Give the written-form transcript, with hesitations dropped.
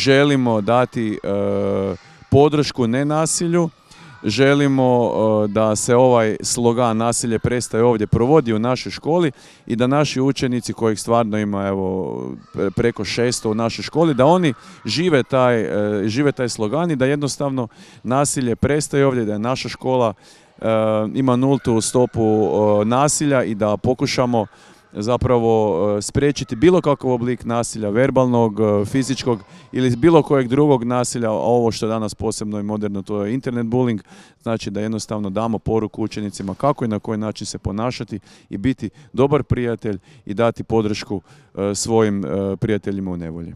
Želimo dati podršku nenasilju, želimo da se ovaj slogan "Nasilje prestaje ovdje" provodi u našoj školi i da naši učenici, kojih stvarno ima preko 600 u našoj školi, da oni žive taj slogan i da jednostavno nasilje prestaje ovdje, da je naša škola ima nultu stopu nasilja i da pokušamo zapravo spriječiti bilo kakav oblik nasilja, verbalnog, fizičkog ili bilo kojeg drugog nasilja, a ovo što je danas posebno i moderno, to je internet bullying, znači da jednostavno damo poruku učenicima kako i na koji način se ponašati i biti dobar prijatelj i dati podršku svojim prijateljima u nevolji.